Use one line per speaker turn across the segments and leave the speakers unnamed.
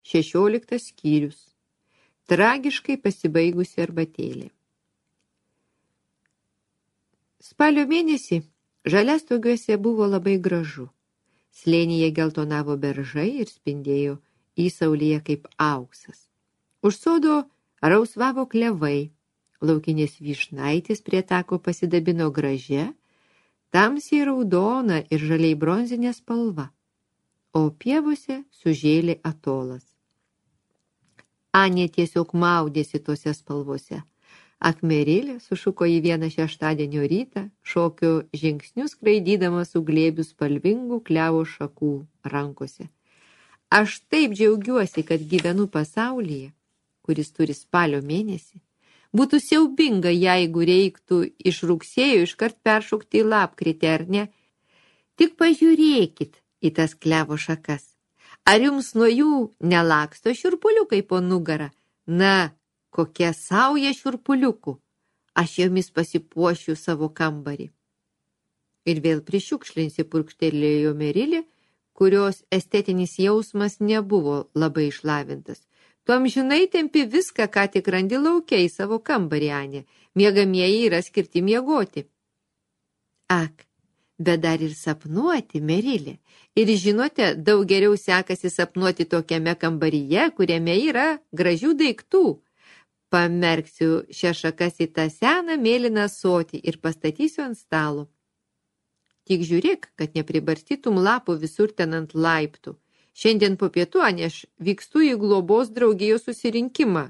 16 skyrius. Tragiškai pasibaigusi arbatėlė. Spalio mėnesį Žaliastogiuose buvo labai gražu. Slėnyje geltonavo beržai ir spindėjo įsaulyje kaip auksas. Už sodo rausvavo klevai. Laukinės vyšnaitės prie tako pasidabino gražia, tamsiai raudona ir žaliai bronzinė spalva, o pievose sužėlė atolas. Anė tiesiog maudėsi tose spalvose. Akmerilė sušuko į vieną šeštadienio rytą, šokio žingsnius skraidydama su glėbiu spalvingų klevo šakų rankose. Aš taip džiaugiuosi, kad gyvenu pasaulyje, kuris turi spalio mėnesį. Būtų siaubinga, jeigu reiktų iš rugsėjo iškart peršokti į lapkritį, ar ne? Tik pažiūrėkit į tas klevo šakas. Ar jums nuo jų nelaksto šiurpuliukai po nugarą? Na, kokia sauja šiurpuliukų. Aš jomis pasipuošiu savo kambarį. Ir vėl prišiukšlinsi, purkštelėjo Merilė, kurios estetinis jausmas nebuvo labai išlavintas. Tu amžinai tempi viską, ką tik randi lauke į savo kambarį, Anė. Miegamieji yra skirti miegoti. Ak, bet dar ir sapnuoti, Merilė. Ir žinote, daug geriau sekasi sapnuoti tokiame kambaryje, kuriame yra gražių daiktų. Pamerksiu šią šakas į tą seną mėlyną ąsotį ir pastatysiu ant stalo. Tik žiūrėk, kad nepribarstytum lapų visur ten ant laiptų. Šiandien po pietų, Anė, aš vykstu į globos draugijos susirinkimą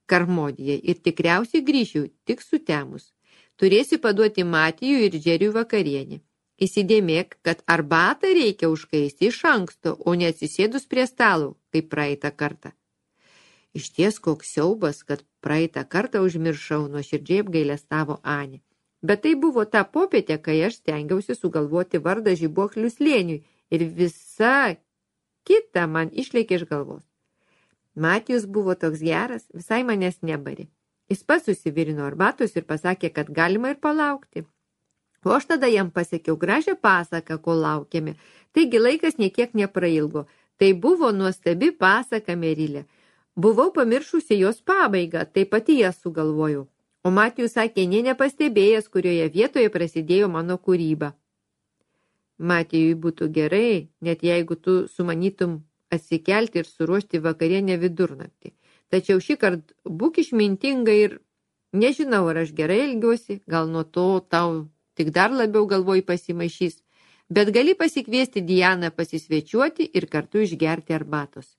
Karmodėje ir tikriausiai grįšiu tik sutemus. Turėsi paduoti Matijų ir Džeriui vakarienį. Įsidėmėk, kad arbatą reikia užkaisti iš anksto, o neatsisėdus prie stalo, kaip praeitą kartą. Išties koks siaubas, kad praeitą kartą užmiršau, nuoširdžiai apgailestavo Anė. Bet tai buvo ta popietė, kai aš stengiausi sugalvoti vardą Žibuoklių slėniui ir visa kita man išlėkė iš galvos. Matijus buvo toks geras, visai manęs nebarė. Jis pats susivirino arbatos ir pasakė, kad galima ir palaukti. O aš tada jam pasakiau gražią pasaką, kol laukėme. Taigi laikas niekiek neprailgo. Tai buvo nuostabi pasaka, Merilė. Buvau pamiršusi jos pabaigą, tai pati ją sugalvojau. O Matijus sakė, nepastebėjęs, kurioje vietoje prasidėjo mano kūryba. Matijui būtų gerai, net jeigu tu sumanytum atsikelti ir suruošti vakarienę vidurnaktį. Tačiau šįkart būk išmintinga ir nežinau, ar aš gerai elgiuosi, gal nuo to tau tik dar labiau galvoj pasimaišys, bet gali pasikviesti Dianą pasisvečiuoti ir kartu išgerti arbatos.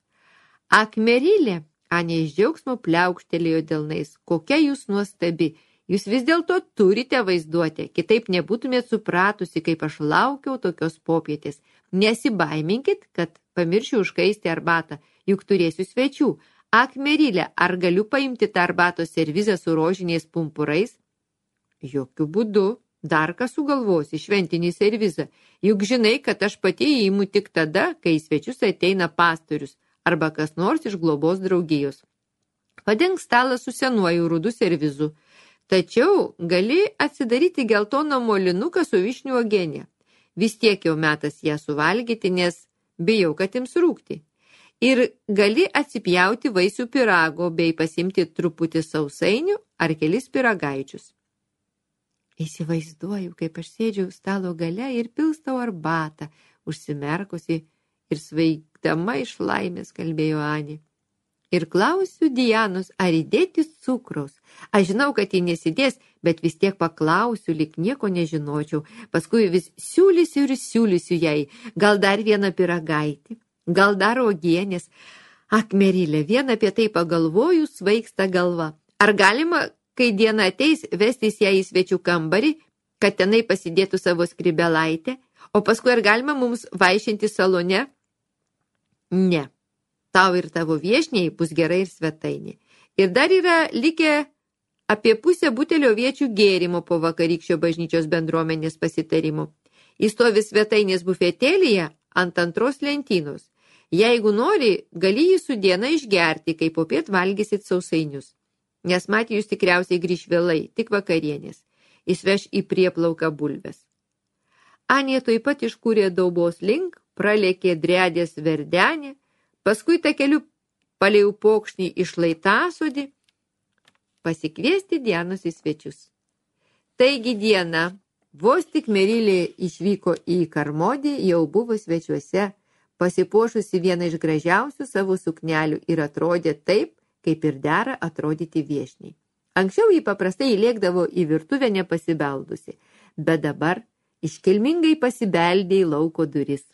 Ak, Merilė, Anė iš džiaugsmo pliaukštelėjo delnais, kokia jūs nuostabi. Jūs vis dėlto turite vaizduotę, kitaip nebūtumėt supratusi, kaip aš laukiau tokios popietės. Nesibaiminkit, kad pamiršiu užkaisti arbatą, juk turėsiu svečių. Ak, Merilė, ar galiu paimti tą arbatos servizą su rožiniais pumpurais? Jokių būdų, dar ką sugalvosi, šventinį servizą. Juk žinai, kad aš pati įimu tik tada, kai į svečius ateina pastorius arba kas nors iš globos draugijos. Padenk stalą su senuoju rudu servizu. Tačiau gali atsidaryti geltoną molinuką su vyšnių uogiene. Vis tiek jau metas ją suvalgyti, nes bijau, kad ims rūgti. Ir gali atsipjauti vaisių pyrago bei pasimti truputį sausainių ar kelis pyragaičius. Įsivaizduoju, kaip aš sėdžiu stalo gale ir pilstau arbatą, užsimerkusi ir svaigdama iš laimės, kalbėjo Anė. Ir klausiu Dianos, ar įdėti cukraus. Aš žinau, kad ji nesidės, bet vis tiek paklausiu, lyg nieko nežinočiau. Paskui vis siūlysiu jai. Gal dar vieną pyragaitį, gal dar uogienės. Ak, Merilė, vien apie tai pagalvoju, svaigsta galva. Ar galima, kai diena ateis, vestis ją į svečių kambarį, kad tenai pasidėtų savo skribelaitę, o paskui ar galima mums vaišinti salone? Ne. Tau ir tavo viešniai bus gerai ir svetainė. Ir dar yra likę apie pusę butelio viečių gėrimo po vakarykščio bažnyčios bendruomenės pasitarimo. Jis stovi svetainės bufetėlyje ant antros lentynos. Jeigu nori, gali jį su diena išgerti, kai popiet valgysit sausainius. Nes Matijus tikriausiai grįš vėlai, tik vakarienės. Jis veš į prieplauką bulves. Anė tuoj pat iškūrė daubos link, pralėkė dredės verdenį, paskui takeliu palei upokšnį iš Laitasodį, pasikviesti Dianos į svečius. Taigi diena, vos tik Merilė išvyko į Karmodį, jau buvo svečiuose, pasipuošusi vieną iš gražiausių savo suknelių ir atrodė taip, kaip ir dera atrodyti viešniai. Anksčiau jį paprastai įlėkdavo į virtuvę nepasibeldusi, bet dabar iškilmingai pasibeldė į lauko duris.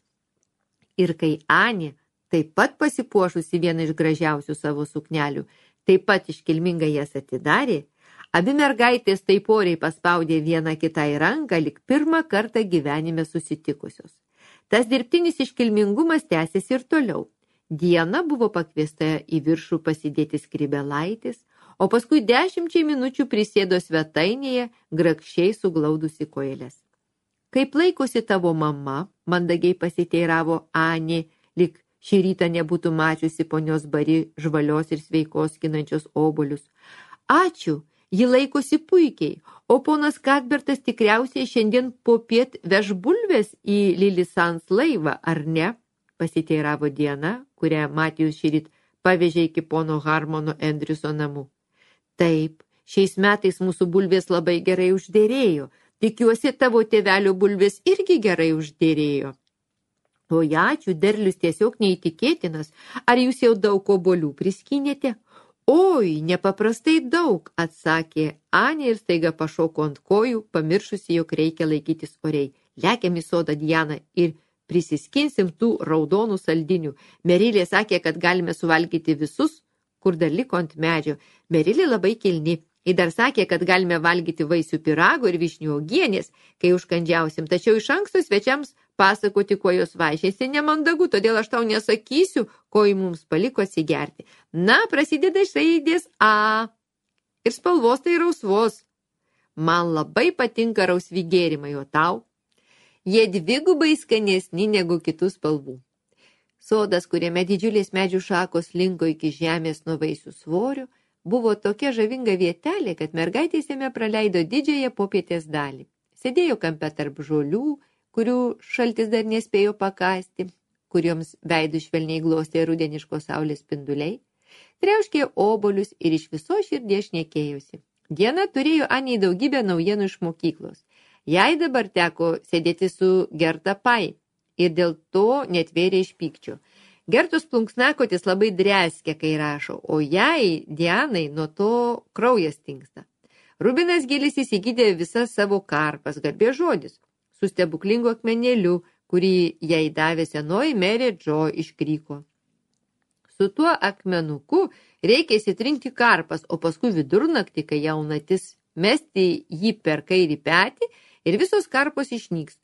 Ir kai Anė, taip pat pasipuošusi vieną iš gražiausių savo suknelių, taip pat iškilmingai jas atidarė, abi mergaitės taip oriai paspaudė vieną kitai ranką, lyg pirmą kartą gyvenime susitikusios. Tas dirbtinis iškilmingumas tęsėsi ir toliau. Diana buvo pakviesta į viršų pasidėti skrybelaitis, o paskui 10 minučių prisėdo svetainėje, grakščiai suglaudusi kojeles. Kaip laikosi tavo mama, mandagiai pasiteiravo Anė, lyg šį rytą nebūtų mačiusi ponios Bari žvalios ir sveikos skinančios obuolius. Ačiū, ji laikosi puikiai, o ponas Kadbertas tikriausiai šiandien popiet veš bulvės į Lilisans laivą, ar ne? Pasiteiravo Diana, kurią Matijus šįryt pavežė iki pono Harmono Andriuso namų. Taip, šiais metais mūsų bulvės labai gerai uždėrėjo. Tikiuosi, tavo tėvelio bulvės irgi gerai uždėrėjo. Oi, ačiū, derlius tiesiog neįtikėtinas. Ar jūs jau daug obuolių priskynėte? Oi, nepaprastai daug, atsakė Anė ir staiga pašoko ant kojų, pamiršusi, jog reikia laikytis oriai. Lekiam į sodą, Diana, ir prisiskinsim tų raudonų saldinių. Merilė sakė, kad galime suvalgyti visus, kur dar liko ant medžio. Merilė labai kilni. Ji dar sakė, kad galime valgyti vaisių pyrago ir vyšnių uogienės, kai užkandžiausim, tačiau iš anksto svečiams pasakoti, kuo jos vaišėsi, nemandagu, todėl aš tau nesakysiu, ko ji mums paliko atsigerti. Na, prasideda iš raidės A. Ir spalvos tai rausvos. Man labai patinka rausvi gėrimai, o tau? Jie dvigubai skanesni negu kitų spalvų. Sodas, kuriame didžiulės medžių šakos linko iki žemės nuo vaisių svorių, buvo tokia žavinga vietelė, kad mergaitės jame praleido didžiąją popietės dalį. Sėdėjo kampe tarp žolių, kurių šaltis dar nespėjo pakasti, kurioms veidų švelniai glostė rudeniškos saulės spinduliai, triauškė obuolius ir iš viso širdies šnekėjosi. Diena turėjo Anei daugybę naujienų iš mokyklos. Jai dabar teko sėdėti su Gerta Pai ir dėl to netvėrė iš pykčio. Gertos plunksnakotis labai dreskė, kai rašo, o jai, Dianai, nuo to kraujas tingsta. Rubinas Gilis įsigydė visas savo karpas, garbės žodis, su stebuklingu akmenėliu, kurį jai davė senoji merė Džo iš Kryko. Su tuo akmenuku reikia įsitrinti karpas, o paskui vidurnaktį, kai jaunatis, mesti jį per kairį petį ir visos karpos išnyks.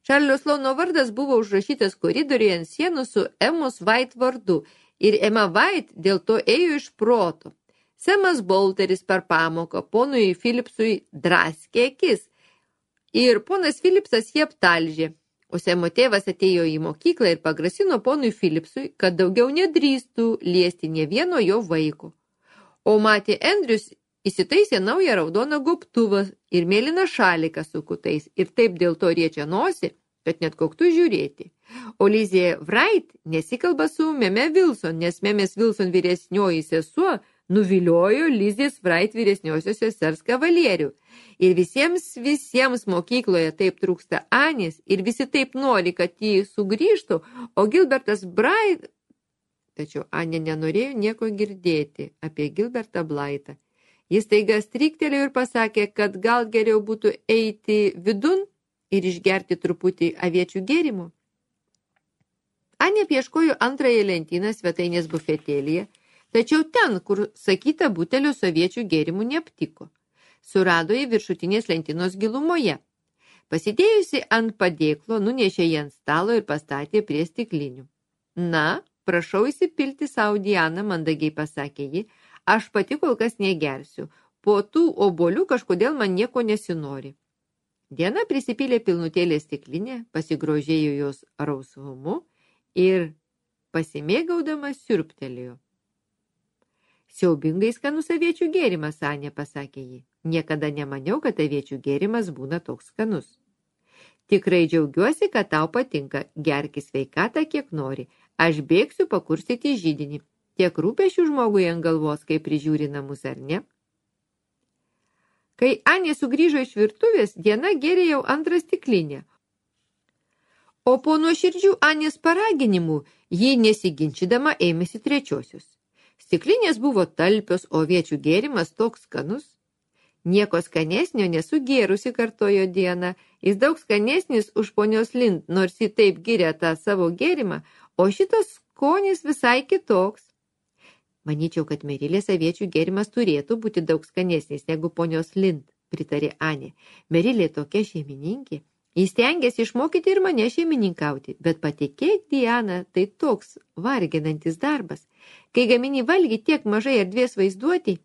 Čarlio Sloano vardas buvo užrašytas koridoriuje ant sienų su Emos White vardu ir Emma White dėl to ėjo iš proto. Semas Bolteris per pamoką ponui Philipsui draskė akis ir ponas Philipsas jį aptalžė, o Semo tėvas atėjo į mokyklą ir pagrasino ponui Philipsui, kad daugiau nedrįstų liesti nė vieno jo vaiko. O Matė Andrius įsitaisė naują raudoną gobtuvą ir mėlyną šaliką su kutais ir taip dėl to riečia nosį, kad net koktų žiūrėti. O Lizė Wright nesikalba su Meme Wilson, nes Memės Wilson vyresnioji sesuo nuviliojo Lizės Wright vyresniosios sesers kavalierių. Ir visiems mokykloje taip trūksta Anės ir visi taip nori, kad jį sugrįžtų, o Gilbertas Bright... Tačiau Anė nenorėjo nieko girdėti apie Gilbertą Blaitą. Jis taiga stryktelėjo ir pasakė, kad gal geriau būtų eiti vidun ir išgerti truputį aviečių gėrimų. Anė pieškojo antrąją lentyną svetainės bufetėlyje, tačiau ten, kur sakyta butelio su aviečių gėrimų neaptiko. Surado į viršutinės lentynos gilumoje. Pasidėjusi ant padėklo, nunešė jį ant stalo ir pastatė prie stiklinių. Na, prašau įsipilti savo, Diana, mandagiai pasakė ji. Aš pati kol kas negersiu. Po tų obuolių kažkodėl man nieko nesinori. Diana prisipylė pilnutėlę stiklinę, pasigrožėjo jos rausvumu ir pasimėgaudama siurbtelėjo. Siaubingai skanus aviečių gėrimas, Anė, pasakė ji. Niekada nemaniau, kad aviečių gėrimas būna toks skanus. Tikrai džiaugiuosi, kad tau patinka. Gerki sveikatą, kiek nori. Aš bėgsiu pakursyti židinį. Tiek rūpešių žmogui ant galvos, kai prižiūri namus, ar ne? Kai Anė sugrįžo iš virtuvės, Diana gėrė jau antrą stiklinę. O po nuoširdžių Anės paraginimų ji nesiginčydama ėmėsi trečiosios. Stiklinės buvo talpios, o aviečių gėrimas toks skanus. Nieko skanesnio nesu gėrusi, kartojo Diana. Jis daug skanesnis už ponios Lind, nors ji taip giria tą savo gėrimą, o šitas skonis visai kitoks. Manyčiau, kad Merilės aviečių gėrimas turėtų būti daug skanesnis negu ponios Lind, pritarė Anė. Merilė tokia šeimininkė. Jis stengiasi išmokyti ir mane šeimininkauti, bet patikėk, Diana, tai toks varginantis darbas. Kai gamini valgį tiek mažai erdvės vaizduoti,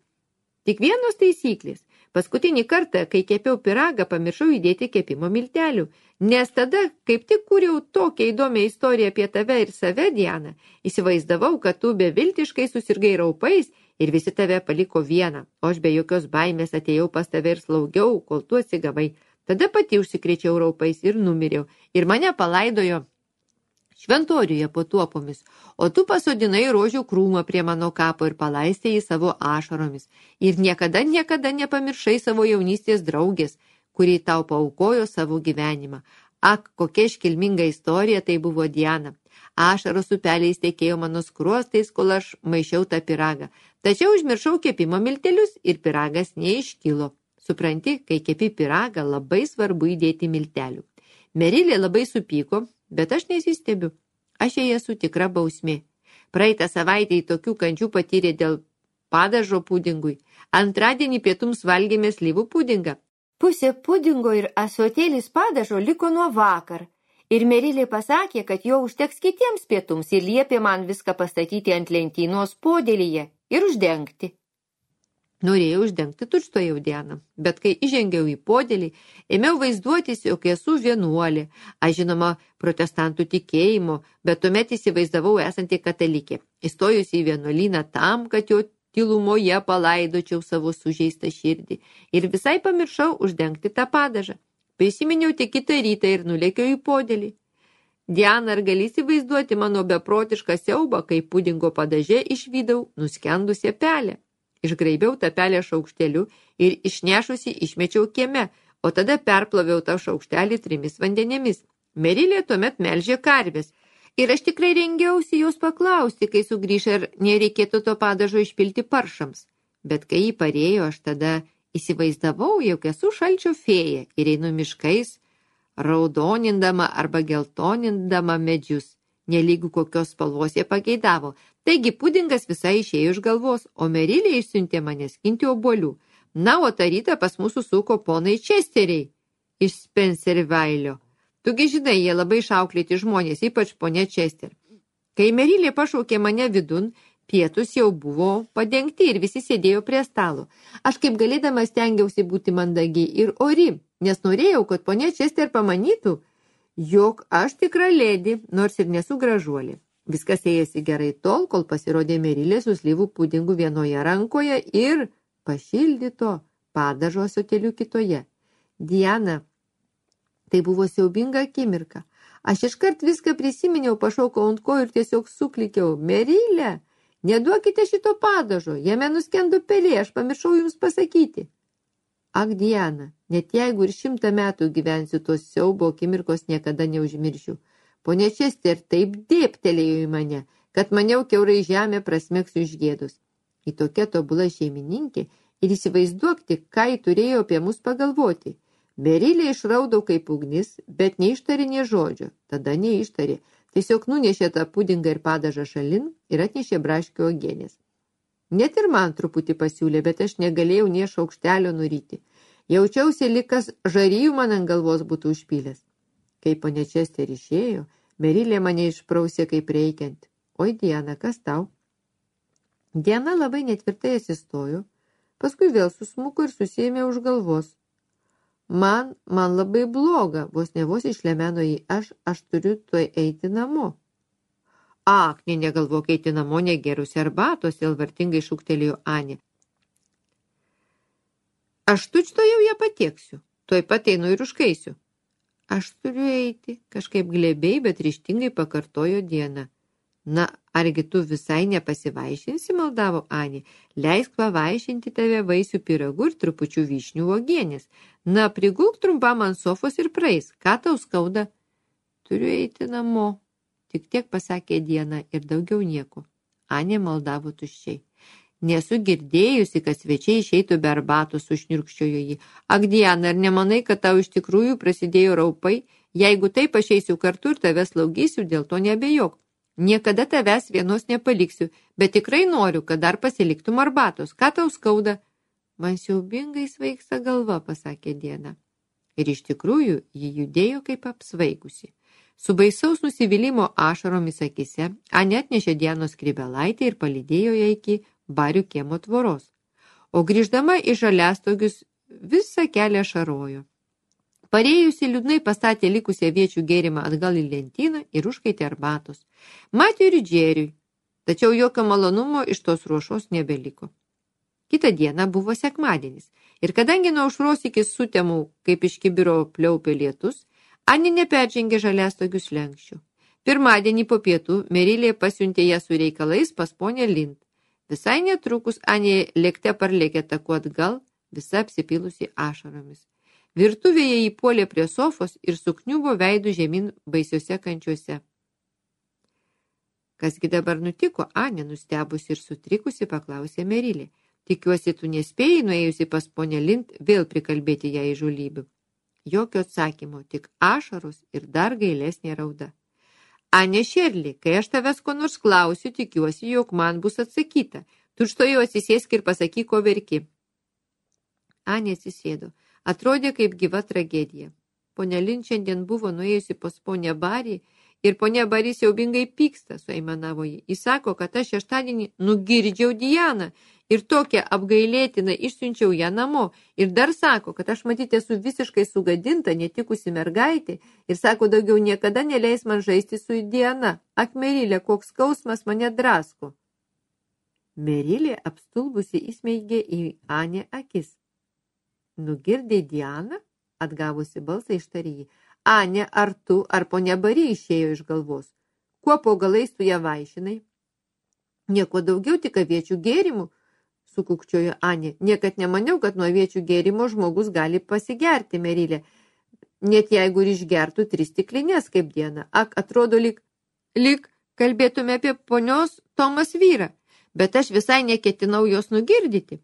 tik vienos taisyklės. Paskutinį kartą, kai kepiau pyragą, pamiršau įdėti kepimo miltelių, nes tada, kaip tik kūriau tokią įdomią istoriją apie tave ir save, Diana, įsivaizdavau, kad tu beviltiškai susirgai raupais ir visi tave paliko vieną, o aš be jokios baimės atėjau pas tave ir slaugiau, kol tu atsigavai. Tada pati užsikrėčiau raupais ir numiriau, ir mane palaidojo šventoriuje po tuopomis, o tu pasodinai rožių krūmą prie mano kapo ir palaistėjai savo ašaromis. Ir niekada nepamiršai savo jaunystės draugės, kurį tau paaukojo savo gyvenimą. Ak, kokia iškilminga istorija tai buvo, Diana. Ašaros upeliais tekėjo mano skruostais, kol aš maišiau tą pyragą. Tačiau užmiršau kepimo miltelius ir pyragas neiškilo. Supranti, kai kepi pyragą, labai svarbu įdėti miltelių. Merilė labai supyko, bet aš nesistebiu. Aš jai esu tikra bausmė. Praeitą savaitę į tokių kančių patyrė dėl padažo pudingui. Antradienį pietums valgėme slyvų pudingą. Pusė pudingo ir ąsotėlis padažo liko nuo vakar. Ir Merilė pasakė, kad jo užteks kitiems pietums ir liepė man viską pastatyti ant lentynos podėlyje ir uždengti. Norėjau uždengti tučtuojau, Diana, bet kai įžengiau į podėlį, ėmiau vaizduotis, jog esu vienuolė. Aš žinoma protestantų tikėjimo, bet tuomet įsivaizdavau esanti katalikė. Įstojusi į vienuolyną tam, kad jo tylumoje palaidočiau savo sužeistą širdį ir visai pamiršau uždengti tą padažą. Prisiminiau tik kitą rytą ir nulėkiau į podėlį. Diana, ar gali įsivaizduoti mano beprotišką siaubą, kai pudingo padaže išvydau nuskendusią pelę? Išgraibiau tą pelę šaukšteliu ir išnešusi išmečiau kieme, o tada perploviau tą šaukštelį 3 vandenėmis. Merilė tuomet melžė karves. Ir aš tikrai rengiausi jos paklausti, kai sugrįš, ar nereikėtų to padažo išpilti paršams. Bet kai jį parėjo, aš tada įsivaizdavau, jog esu šalčio fėja ir einu miškais, raudonindama arba geltonindama medžius. Nelygų kokios spalvos jie pageidavo. Taigi pudingas visai išėjo iš galvos, o Merilė išsiuntė mane skinti obuolių. Na, o tą rytą pas mūsų suko ponai Česteriai iš Spencervailio. Tugi žinai, jie labai išauklėti žmonės, ypač ponė Čester. Kai Merilė pašaukė mane vidun, pietus jau buvo padengti ir visi sėdėjo prie stalo. Aš kaip galėdama stengiausi būti mandagi ir ori, nes norėjau, kad ponė Čester pamanytų, jog aš tikra ledi, nors ir nesu gražuolė. Viskas ėjosi gerai tol, kol pasirodė Merilė su slyvų pudingu vienoje rankoje ir pašildyto padažo ąsotėliu kitoje. Diana, tai buvo siaubinga akimirka. Aš iškart viską prisiminiau, pašaukau ant kojų ir tiesiog suklikiau. Merilė, neduokite šito padažo, jame nuskendo pelė, aš pamiršau jums pasakyti. Ak, Diana, net jeigu ir 100 metų gyvensiu, tos siaubo akimirkos niekada neužmiršiu. Pone Čester taip dėptelėjo į mane, kad maniau kiaurai žemė prasmegsiu iš gėdos. Į tokia tobula šeimininkė ir įsivaizduok tik, ką ji turėjo apie mus pagalvoti. Merilė išraudau kaip ugnis, bet neištarė nė žodžio. Tada neištarė. Tiesiog nunešė tą pudingą ir padažą šalin ir atnešė braškių uogienės. Net ir man truputį pasiūlė, bet aš negalėjau nė šaukštelio nuryti. Jaučiausi, lyg kas žarijų man ant galvos būtų užpylęs. Kai ponė Čester išėjo, Merilė mane išprausė kaip reikiant. Oi, Diana, kas tau? Diana labai netvirtai atsistojo, paskui vėl susmuko ir susiėmė už galvos. Man labai bloga, vos išlemeno į aš turiu tuoj eiti namo. Ak, negalvok eiti namo negėrusi arbatos, elvartingai šūktelėjo Anė. Aš tučtuojau ją patieksiu, tuoj pat einu ir užkaisiu. Aš turiu eiti, kažkaip glebiai, bet ryžtingai pakartojo Diana. Na, Argi tu visai nepasivaišinsi, maldavo Anė. Leisk pavaišinti tave vaisių pyragų ir trupučių vyšnių uogienės. Na, prigulk trumpam ant sofos ir praeis. Ką tau skauda? Turiu eiti namo. Tik tiek pasakė Diana ir daugiau nieko. Anė maldavo tuščiai. Nesu girdėjusi, kad svečiai išeitų be arbatos, sušniurkščiojo jį. Ak, Diana, ar nemanai, kad tau iš tikrųjų prasidėjo raupai? Jeigu taip, aš eisiu kartu ir tave slaugysiu, dėl to nebejok. Niekada tavęs vienos nepaliksiu, bet tikrai noriu, kad dar pasiliktum arbatos. Ką tau skauda? Man siaubingai svaigsta galva, pasakė Diana. Ir iš tikrųjų, ji judėjo kaip apsvaigusi. Su baisaus nusivylimo ašaromis akise, Anė atnešė Dianos skrybelaitę ir palydėjo ją iki Barių kiemo tvoros. O grįždama į Žaliastogius visą kelią šarojo. Parėjusi liūdnai pastatė likusią aviečių gėrimą atgal į lentyną ir užkaitė arbatos. Matė ir Džeriui, tačiau jokio malonumo iš tos ruošos nebeliko. Kitą dieną buvo sekmadienis ir kadangi nuo aušros iki sutemų, kaip iš kibiro pliaupė lietus, Anė neperžengė Žaliastogių slenksčių. Pirmadienį po pietų Merilė pasiuntė ją su reikalais pas ponę Lind. Visai netrukus Anė lėkte parlėkė taku atgal, visa apsipilusi ašaromis. Virtuvėje įpuolė prie sofos ir sukniubo veidų žemyn baisiuose kančiuose. Kasgi dabar nutiko, Anė, nustebusi ir sutrikusi, paklausė Merilė. Tikiuosi, tu nespėjai, nuėjusi pas ponę Lind, vėl prikalbėti ją įžulybių. Jokio atsakymo, tik ašaros ir dar gailesnė rauda. Anė Šerli, kai aš tavęs ko nors klausiu, tikiuosi, jog man bus atsakyta. Tučtuojau atsisėsk ir pasakyk, ko verki. Anė atsisėdo. Atrodė kaip gyva tragedija. Ponia Lind šiandien buvo nuėjusi pas ponę Barį ir ponia Barį siaubingai pyksta, suaimanavo jį. Jis sako, kad aš šeštadienį nugirdžiau Dianą ir tokią apgailėtiną išsiunčiau ją namo. Ir dar sako, kad aš matyt esu visiškai sugadinta, netikusi mergaitė ir sako, daugiau niekada neleis man žaisti su Diana. Ak, Merilė, koks skausmas mane drasko. Merilė apstulbusi įsmeigė į Anę akis. Nugirdė Dianą? Atgavusi balsą ištarė jį. Anė, ar tu, ar ponia Barį išėjo iš galvos? Kuo po galais tu ją vaišinai? Nieko daugiau, tik aviečių gėrimų, sukukčiojo Anė. Niekad nemaniau, kad nuo aviečių gėrimo žmogus gali pasigerti, Merilė. Net jeigu ir išgertų 3 stiklinės kaip Diana. Ak, atrodo, lyg kalbėtume apie ponios Tomas vyrą. Bet aš visai neketinau jos nugirdyti.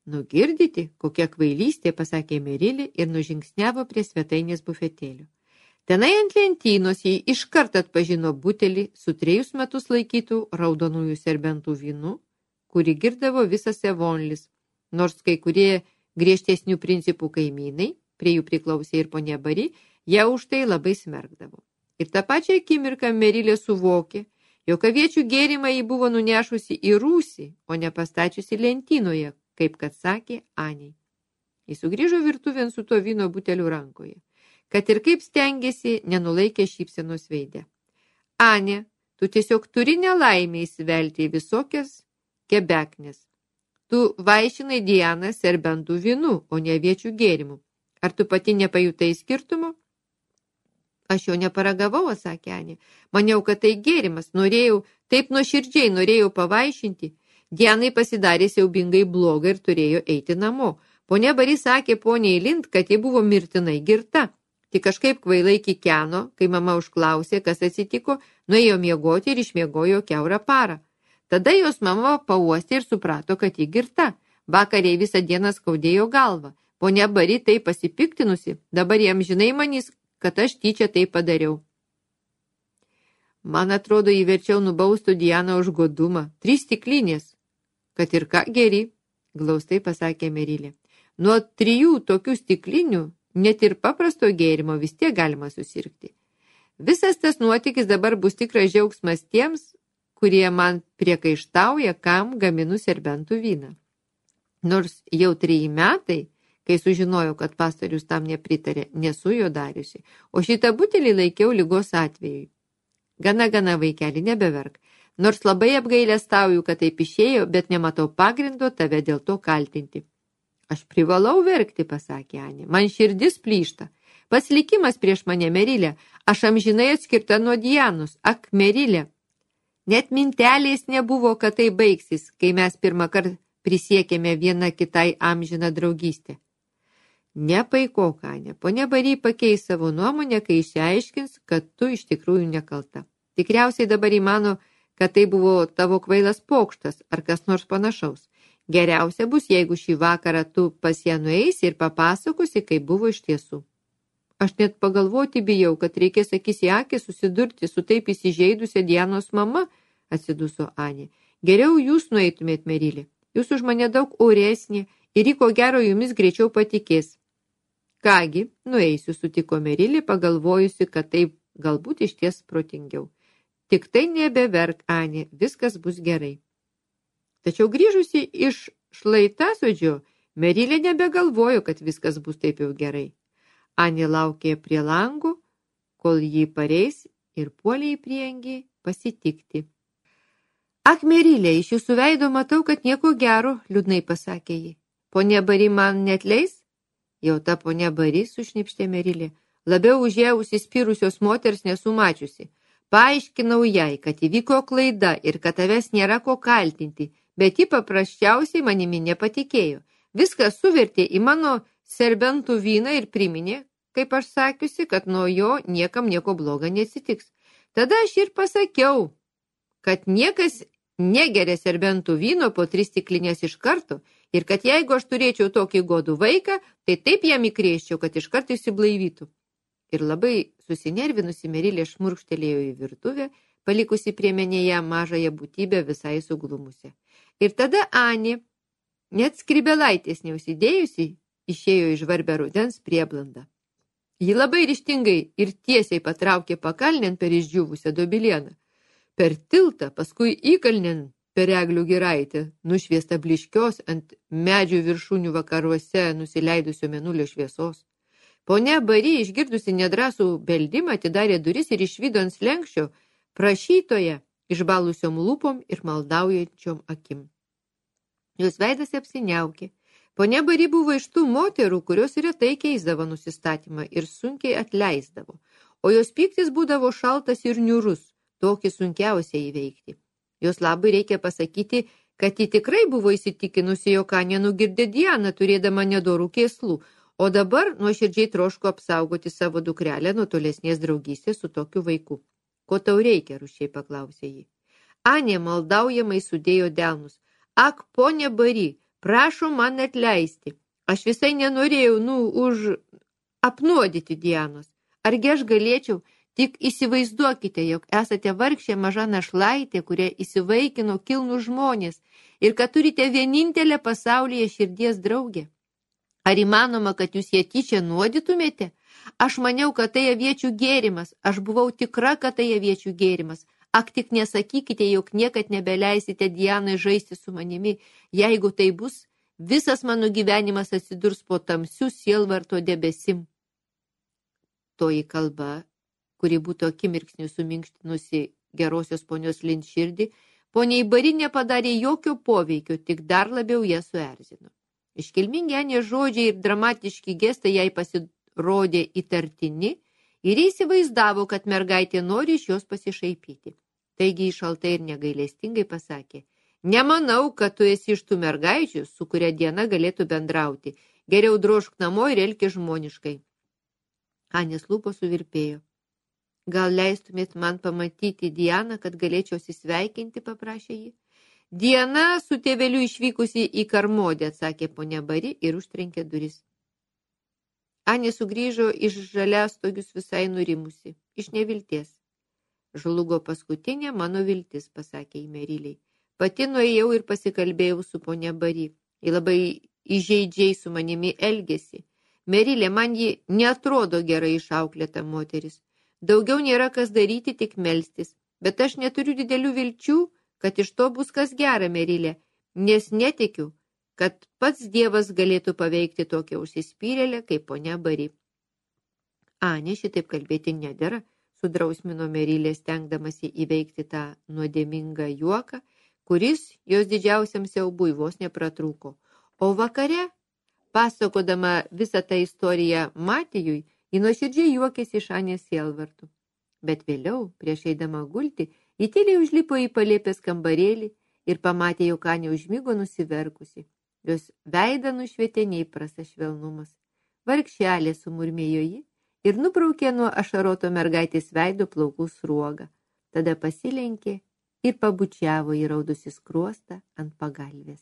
Nugirdyti, kokia kvailystė, pasakė Merilė ir nužingsniavo prie svetainės bufetėlio. Tenai ant lentynos jį iškart atpažino butelį su 3 metus laikytų raudonųjų serbentų vynu, kurį girdavo visas Evonlis, nors kai kurie griežtesnių principų kaimynai, prie jų priklausė ir ponia Barį, ją už tai labai smerkdavo. Ir tą pačią akimirką Merilė suvokė, jog aviečių gėrimą jį buvo nunešusi į rūsį, o ne pastačiusi lentynoje, kaip kad sakė Anei. Jis sugrįžo virtuvėn su to vyno buteliu rankoje. Kad ir kaip stengėsi, nenulaikė šypsenos veide. Anė, tu tiesiog turi nelaimę įsivelti į visokias kebeknes. Tu vaišinai Dianą serbentų vynu, o ne aviečių gėrimų. Ar tu pati nepajutai skirtumo? Aš jo neparagavau, atsakė Anė. Maniau, kad tai gėrimas. Taip nuoširdžiai norėjau pavaišinti. Dianai pasidarė siaubingai blogai ir turėjo eiti namo. Ponia Barį sakė poniai Lind, kad ji buvo mirtinai girta. Tik kažkaip kvailai kikeno, kai mama užklausė, kas atsitiko, nuėjo miegoti ir išmiegojo kiaurą parą. Tada jos mama pauostė ir suprato, kad ji girta. Vakariai visą dieną skaudėjo galvą. Ponia Barį tai pasipiktinusi, dabar jam žinai manys, kad aš tyčia tai padariau. Man atrodo, įverčiau nubaustų Dianą už godumą. 3 stiklinės. Kad ir ką geri, glaustai pasakė Merilė. Nuo 3 tokių stiklinių, net ir paprasto gėrimo vis tiek galima susirgti. Visas tas nuotykis dabar bus tikras džiaugsmas tiems, kurie man priekaištauja, kam gaminu serbentų vyną. Nors jau 3 metai, kai sužinojau, kad pastorius tam nepritarė, nesu jo dariusi, o šitą butelį laikiau ligos atvejui. Gana, vaikeli, nebeverk. Nors labai apgailestauju, kad taip išėjo, bet nematau pagrindo tave dėl to kaltinti. Aš privalau verkti, pasakė Anė. Man širdis plyšta. Pats likimas prieš mane, Merilė. Aš amžinai atskirta nuo Dianos. Ak, Merilė. Net mintelės nebuvo, kad tai baigsis, kai mes pirmą kartą prisiekėme viena kitai amžiną draugystę. Nepaikok, Anė, ponia Bary pakeis savo nuomonę, kai išsiaiškins, kad tu iš tikrųjų nekalta. Tikriausiai dabar įmano, kad tai buvo tavo kvailas pokštas ar kas nors panašaus. Geriausia bus, jeigu šį vakarą tu pas ją nueisi ir papasakosi, kaip buvo iš tiesų. Aš net pagalvoti bijau, kad reikės akis į akį susidurti su taip įsižeidusia Dianos mama, atsiduso Anė. Geriau jūs nueitumėt, Merilė. Jūs už mane daug oresnė ir ji ko gero jumis greičiau patikės. Kągi, nueisiu, sutiko Merilė, pagalvojusi, kad taip galbūt iš ties protingiau. Tik tai nebeverk, Anė, viskas bus gerai. Tačiau grįžusi iš šlaitasodžio, Merilė nebegalvojo, kad viskas bus taip jau gerai. Anė laukė prie lango, kol jį pareis ir puolė į priengį pasitikti. Ak, Merilė, iš jūsų veido matau, kad nieko gero, liūdnai pasakė ji. Ponia Bary man neatleis? Jau ta ponia Bary, sušnipštė Merilė. Labiau už ją užsispyrusios moters nesu mačiusi. Paaiškinau jai, kad įvyko klaida ir kad tavęs nėra ko kaltinti, bet ji paprasčiausiai manimi nepatikėjo. Viską suvertė į mano serbentų vyną ir priminė, kaip aš sakiusi, kad nuo jo niekam nieko bloga neatsitiks. Tada aš ir pasakiau, kad niekas negeria serbentų vyno po 3 stiklinės iš karto ir kad jeigu aš turėčiau tokį godų vaiką, tai taip jam įkrėščiau, kad iškart išsiblaivytų. Ir labai susinervinusi Merilė šmurkštelėjo į virtuvę, palikusi priemenėje mažąją būtybę visai suglumusią. Ir tada Anė, net skrybelaitės neusidėjusi, išėjo iš žvarbę rudens prieblandą. Ji labai ryžtingai ir tiesiai patraukė pakalnėn per išdžiūvusią dobilieną. Per tiltą, paskui įkalnėn per eglių giraitę, nušviesta bliškios ant medžių viršūnių vakaruose nusileidusio mėnulio šviesos. Ponia Bary, išgirdusi nedrąsų beldimą, atidarė duris ir išvydo ant slenkščio prašytoje išbalusiom lūpom ir maldaujančiom akim. Jos veidas apsiniaukė. Ponia Bary buvo iš tų moterų, kurios retai keisdavo nusistatymą ir sunkiai atleisdavo, o jos pyktis būdavo šaltas ir niūrus, tokį sunkiausia įveikti. Jos labai reikia pasakyti, kad ji tikrai buvo įsitikinusi, jog Anė nugirdė Dianą, turėdama nedorų kėslų, o dabar nuoširdžiai troško apsaugoti savo dukrelę nuo tolesnės draugystės su tokiu vaiku. Ko tau reikia, rūsčiai paklausė ji. Anė maldaujamai sudėjo delnus. Ak, ponia Bary, prašom man atleisti. Aš visai nenorėjau, apnuodyti Dianos. Argi aš galėčiau, tik įsivaizduokite, jog esate vargšė maža našlaitė, kurią įsivaikino kilnų žmonės ir kad turite vienintelę pasaulyje širdies draugę. Ar įmanoma, kad jūs ją tyčia nuodytumėte? Aš maniau, kad tai aviečių gėrimas. Aš buvau tikra, kad tai aviečių gėrimas. Ak, tik nesakykite, jog niekad nebeleisite Dianai žaisti su manimi. Jeigu tai bus, visas mano gyvenimas atsidurs po tamsių sielvarto debesim. Toji kalba, kuri būtų akimirksniu suminkštinusi gerosios ponios Lind širdį, poniai Bary nepadarė jokio poveikio, tik dar labiau ją suerzino. Iškilmingi Anės žodžiai ir dramatiški gestai jai pasirodė įtartini ir įsivaizdavo, kad mergaitė nori iš jos pasišaipyti. Taigi šaltai ir negailestingai pasakė, nemanau, kad tu esi iš tų mergaičių, su kuria Diana galėtų bendrauti. Geriau drožk namo ir elkis žmoniškai. Anės lūpos suvirpėjo. Gal leistumėt man pamatyti Dianą, kad galėčiau susisveikinti, paprašė ji. Diana su tėveliu išvykusi į Karmodę, atsakė ponia Bary ir užtrenkė duris. Anė sugrįžo iš žaliastogius visai nurimusi, iš nevilties. Žlugo paskutinė mano viltis, pasakė į Meriliai. Pati nuėjau ir pasikalbėjau su ponia Bary. Ji labai įžeidžiai su manimi elgėsi. Merilė, man ji neatrodo gerai išauklėta moteris. Daugiau nėra kas daryti, tik melstis. Bet aš neturiu didelių vilčių, kad iš to bus kas gera, Merilė, nes netikiu, kad pats Dievas galėtų paveikti tokią užsispyrėlę kaip ponia Bary. Anė, šitaip kalbėti nedera, sudrausmino Merilė, stengdamasi įveikti tą nuodėmingą juoką, kuris jos didžiausiam siaubui vos nepratrūko. O vakare, pasakodama visą tą istoriją Matijui, ji nuoširdžiai juokėsi iš Anės sielvartų. Bet vėliau, prieš eidama gulti, Ji tyliai užlipo į palėpės kambarėlį ir pamatė, jog Anė užmigo nusiverkusi. Jos veidą nušvietė neįprastas švelnumas. Vargšelė, sumurmėjo ji ir nubraukė nuo ašaroto mergaitės veido plaukų sruogą. Tada pasilenkė ir pabučiavo įraudusi skruostą ant pagalvės.